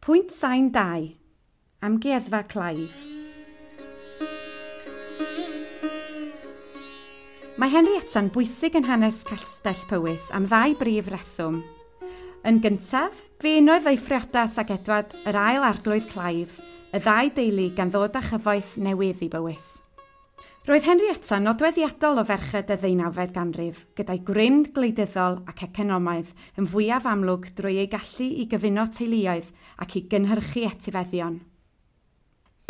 Pwynt sain 2. Amgueddfa Clive. Mae Henrietta'n bwysig yn hanes Castell Powys am ddau brif reswm. Yn gyntaf, fe unodd ei phriodas ag Edward yr ail arglwydd Clive, y ddau deulu gan ddod â chyfoeth newydd i Bowys. Roedd Henrietta nodweddiadol o ferched y ddeunawfed ganrif, gyda'i grym gwleidyddol ac economaidd yn fwyaf amlwg drwy ei gallu i gyfuno teuluoedd ac i gynhyrchu etifeddion.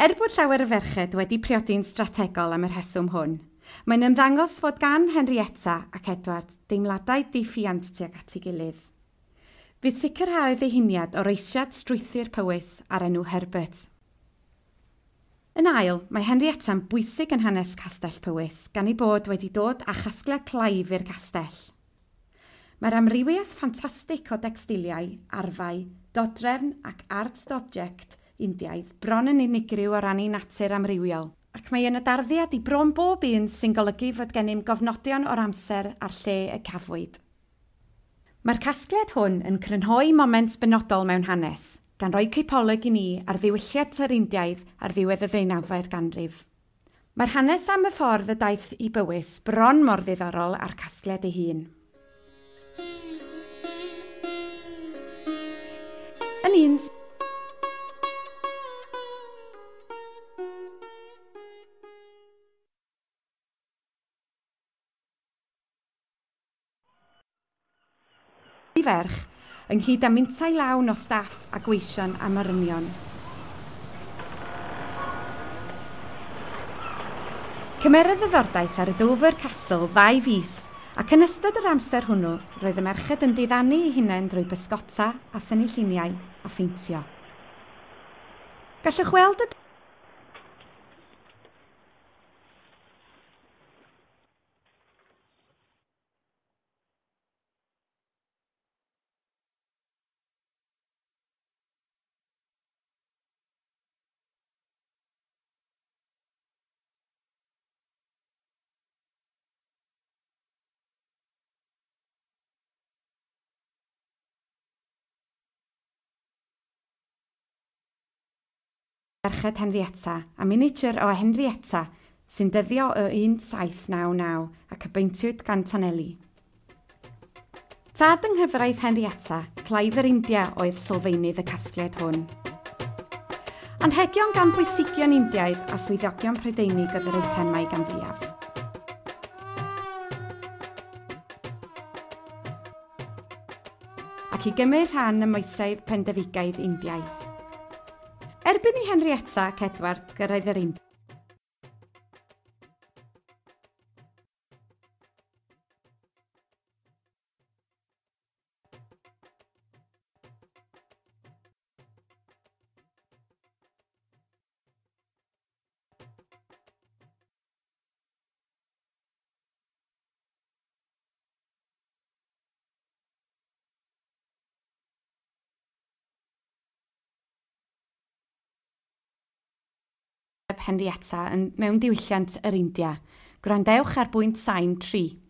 Er bod llawer o ferched wedi priodi'n strategol am y rheswm hwn, mae'n ymddangos fod gan Henrietta ac Edward deimladau diffuant tuag at ei gilydd. Fe sicrhaodd ei huniad o reisiad strwythur Powys a'r enw Herbert. Yn ail, mae Henrietta'n bwysig yn hanes Castell Powys gan ei bod wedi dod â chasgliad Clive i'r castell. Mae'r amrywiaeth ffantastig o decstiliau, arfau, dodrefn ac art object Indiaidd bron yn unigryw o ran ei natur amrywiol, ac mae yna darddiad i bron bob un sy'n golygu fod gennym gofnodion o'r amser a'r lle y cafwyd. Mae'r casgliad hwn yn crynhoi moment benodol mewn hanes, gan roi cipolwg i ni ar ddiwylliant yr Indiaidd ar ddiwedd y ddeunawfed ganrif. Mae'r hanes am y ffordd y daeth i Bywys bron mor ddiddorol â'r casgliad ei hun. Yn un ferch, ynghyd â mintai lawn o staff a gweision a morynion. Cymerodd y fordaith ar y Dover Castle 2 fis, ac yn ystod yr amser hwnnw, roedd y merched yn diddanu eu hunain drwy bysgota a thynnu lluniau a pheintio. Gallwch weld y merched Henrietta a miniature o Henrietta sy'n dyddio o 1799 ac y beintiwyd gan Tonelli. Tad yng nghyfraith Henrietta, Clive yr India oedd sylfaenydd y casgliad hwn. Anrhegion gan bwysigion Indiaidd a swyddogion Prydeinig oedd yr eitemau gan fwyaf. Ac i gymryd rhan ym moesau pendefigaidd Indiaidd. Erbyn i Henrietta ac Edward gyrraedd yr India, Henrietta mewn diwylliant yr India. Gwrandewch ar bwynt sain 3.